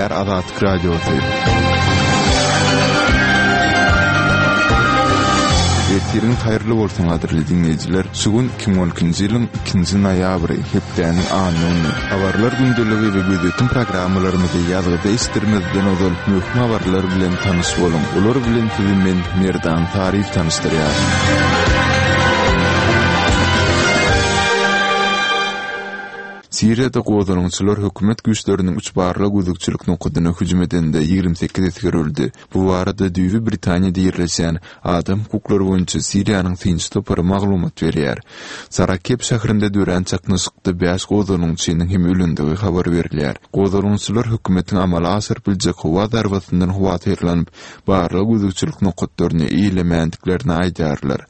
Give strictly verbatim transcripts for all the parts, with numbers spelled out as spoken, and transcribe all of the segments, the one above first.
Gepleýär Azatlyk Radiosy. Ertiriňiz haýyrly bolsun gadyrly diňleýjiler. Şu gün iki müň on ikinji ýylyň ikinji noýabry, hepdäniň anna güni. Habarlar gündeligi we gözýetim programmalarymyzy ýazgyda eşitdirmezden ozal möhüm habarlar bilen tanyş boluň. Olar bilen sizi men Merdan Saryýew tanyşdyrýar. Siriýada gozgalaňçylar hökümet güýçleriniň üç barlag gözegçilik nokadyna hüjüm edende ýigrimi sekiz esger öldi. Bu barada düýbi Britaniýada ýerleşýän adam hukuklary boýunça Siriýanyň synçy topary maglumat berýär. Sarakeb şäherinde dörän çaknyşykda bäş gozgalaňçynyň hem ölendigi habar berilýär. Gozgalaňçylar hökümetiň amala aşyryp biljek howa zarbasyndan howatyrlanyp, barlag gözegçilik nokatlaryny eýelemändiklerini aýdýarlar.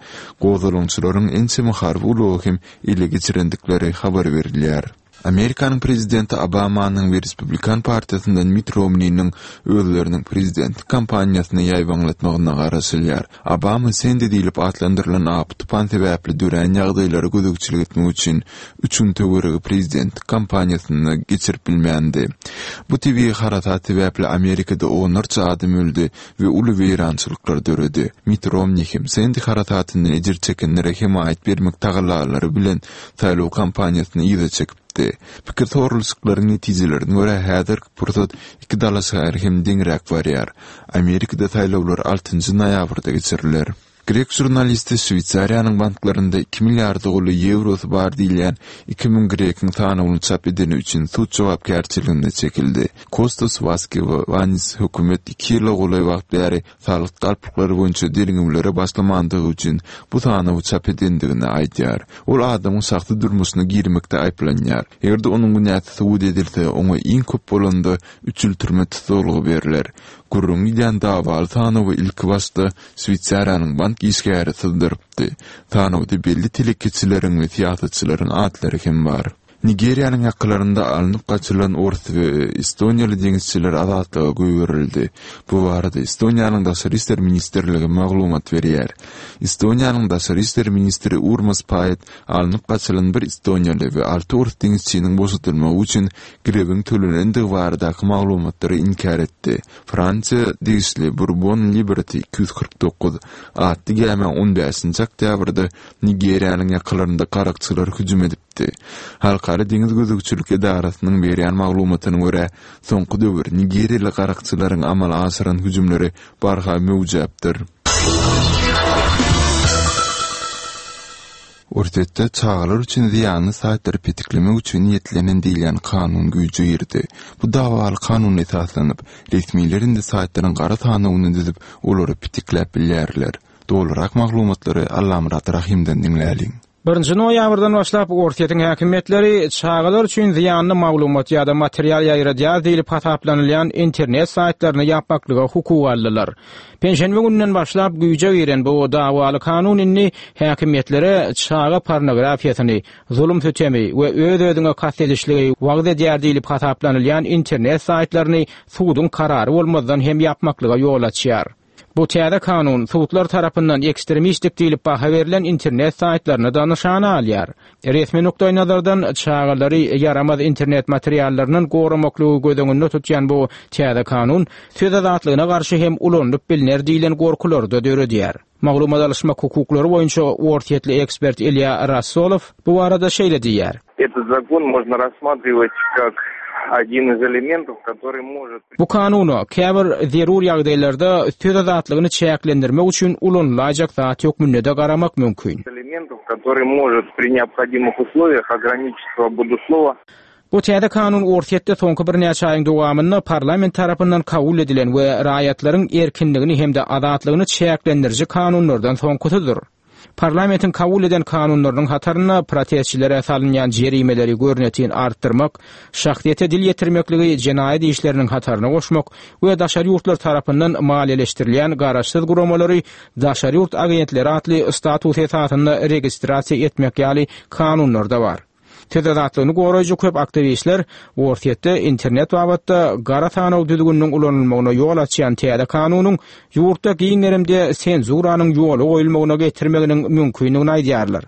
Gozgalaňçylaryň ençeme harby ulagy hem ele geçirendikleri habar berilýär. Amerikanyň prezidenti Obamanyň we Respublikan partiýasyndan Mitt Romniniň özleriniň prezidentlik kampaniýasyny ýaýbaňlatmagyna garaşylýar. Obama Sendi diýlip atlandyrylan apy-tupan sebäpli dörän ýagdaýlara gözegçilik etmek üçin üç gün töweregi prezidentlik kampaniýasyny geçirip bilmändi. Bu tebigy harasat sebäpli Amerikada onlarça adam öldi we uly weýrançylyklar döredi. Mitt Romni hem Sendi harasatyndan ejir çekenlere hemaýat bermek tagallalary bilen saýlaw kampaniýasyny yza çekipdi. Pikir soralyşyklaryň netijelerine görä häzirki pursat iki dalaşgär hem deňräk barýar. Amerikada saýlawlar altynjy noýabrda geçiriler. Grek žurnalisti Şweýsariýanyň banklarynda iki milliarda golaý ýewrosy bar diýilýän iki müň grekiň sanawyny çap edeni üçin sud jogapkärçiligine çekildi. Kostas Waskewanis hökümet iki ýyla golaý wagt bäri salgyt galplyklary boýunça derňewlere başlamandygy üçin bu sanawy çap edendigini aýdýar. Ol adamyň şahsy durmuşyna girmekde aýyplanýar. Eger-de onuň günäsi subut edilse, oňa iň köp bolanda üç ýyl türme tussaglygy berler. Gürrüň gidýän dawaly sanawy ilki başda Şweýsariýanyň bank işgäri syzdyrypdy. Sanawda belli telekeçileriň we syýasatçylaryň atlary hem bar. Nigeriýanyň ýakalarynda alnyp gaçylan ors we estoniýaly deňizçiler azatlyga goýberildi. Bu barada Estoniýanyň Daşary işler ministrligi maglumat berýär. Estoniýanyň Daşary işler ministri Urmas Paet alnyp gaçylan bir estoniýaly we alty ors deňizçiniň boşadylmagy üçin girewiň tölenendigi baradaky maglumatlary inkär etdi. Fransiýa degişli Bourbon Liberty iki ýüz kyrk dokuz atly gämä on bäşinji oktýabrda Nigeriýanyň ýakalarynda garakçylar hüjüm edipdi. Halkara deňiz gözegçilik edarasynyň berýän maglumatyna görä, soňky döwür nigeriýaly garakçylaryň amala aşyran hüjümleri barha möwjäpdir. Orsýetde çagalar üçin zyýanly saýtlary petiklemek üçin niýetlenen diýilýän kanun güýje girdi. Bu dawaly kanuna esaslanyp, resmiler indi saýtlaryň gara sanawyny düzüp, olary petikläp bilýärler. Dolurak maglumatlary Allamyrat Rahymdan diňläliň. Birinji noýabrdan başlap Orsýetiň häkimiýetleri çagalar üçin zyýanly maglumat ýa-da material ýaýradýar diýlip hasaplanylýan internet saýtlaryny ýapmaklyga hukuk aldylar. Penşenbe gününden başlap güýje giren bu dawaly kanun indi häkimiýetlere çaga pornografiýasyny, zulum sütemi we öz-özüňe kast edişligi wagyz edýär diýlip hasaplanylýan internet saýtlaryny suduň karary bolmazdan hem ýapmaklyga ýol açýar. Bu täze kanun sudlar tarapyndan ekstremistik diýlip baha berlen internet saýtlaryny da nyşana alýar. Resmi nukdaýnazardan çagalary ýaramaz internet materiallaryndan goramaklygy göz öňünde tutýan bu täze kanun söz azatlygyna garşy hem ulanylyp bilner diýlen gorkulary da döredýär. Maglumat alyşmak hukuklary boýunça orsýetli ekspert Ilýa Rassolow bu barada şeýle diýýär. Этот закон можно рассматривать как один из элементов, который может Bu kanuna käbir zerur ýagdaýlarda söz azatlygyny çäklendirmek üçin ulanylaýjak zat hökmünde garamak mümkin. Элементов, который может при необходимых условиях ограничить свободу слова. Bu täze kanun Orsýetde soňky birnäçe aýyň dowamynda parlament tarapyndan kabul edilen we raýatlaryň erkinligini hem-de azatlygyny çäklendiriji kanunlardan soňkusydyr. Parlamentiň kabul eden kanunlarynyň hatarynda protestçilere salynýan jerimeleri görnetin artdyrmak, şahsyýete dil ýetirmekligi jenaýat işleriniň hataryna goşmak we daşary ýurtlar tarapyndan maliýeleşdirilýän garaşsyz guramalary daşary ýurt agentleri atly status esasynda registrasiýa etmek ýaly kanunlar da bar. Söz azatlygyny goraýjy köp aktiwistler Orsýetde internet babatda gara sanaw düzgüniniň ulanylmagyna ýol açýan täze kanunyň ýurtda giň gerimde senzuranyň ýola goýulmagyna getirmeginiň mümkindigini aýdýarlar.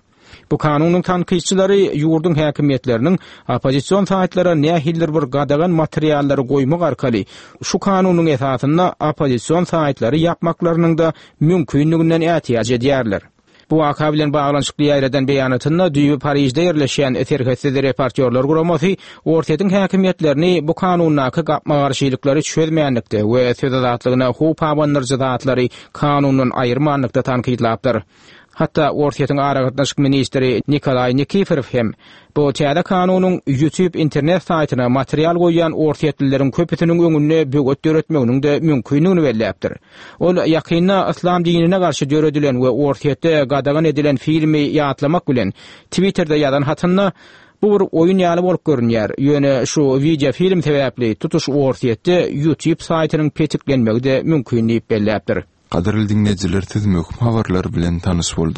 Bu kanunyň tankytçylary ýurduň häkimiýetleriniň oppozision saýtlara nähilidir bir gadagan materiallary goýmak arkaly şu kanunyň esasynda oppozision saýtlary ýapmaklarynyň-da mümkinliginden ätiýaç edýärler. Bu waka bilen baglanyşykly ýaýradan beýanatynda düýbi Parižde ýerleşýän Serhetsiz reportýorlar guramasy Orsýetiň häkimiýetlerini bu kanundaky gapma-garşylyklary çözmänlikde we söz azatlygyna howp abandyryjy zatlary kanundan aýyrmanlykda tankytlapdyr. Hatda Orsýetiň aragatnaşyk ministri Nikolaý Nikiforow hem bu täze kanunyň YouTube internet saýtyna material goýýan orsýetlileriň köpüsiniň öňünde böwet döretmeginiň-de mümkinligini belläpdir. Ol ýakynda yslam dinine garşy döredilen we Orsýetde gadagan edilen filmi ýatlamak bilen Twitterde ýazan hatynda Bu bir oýun ýaly bolup görünýär, ýöne şu wideofilm sebäpli tutuş Orsýetde YouTube saýtynyň petiklenmegi-de mümkin diýip belläpdir. Gadyrly diňleýjiler siz möhüm habarlar bilen tanyş bolduňyz.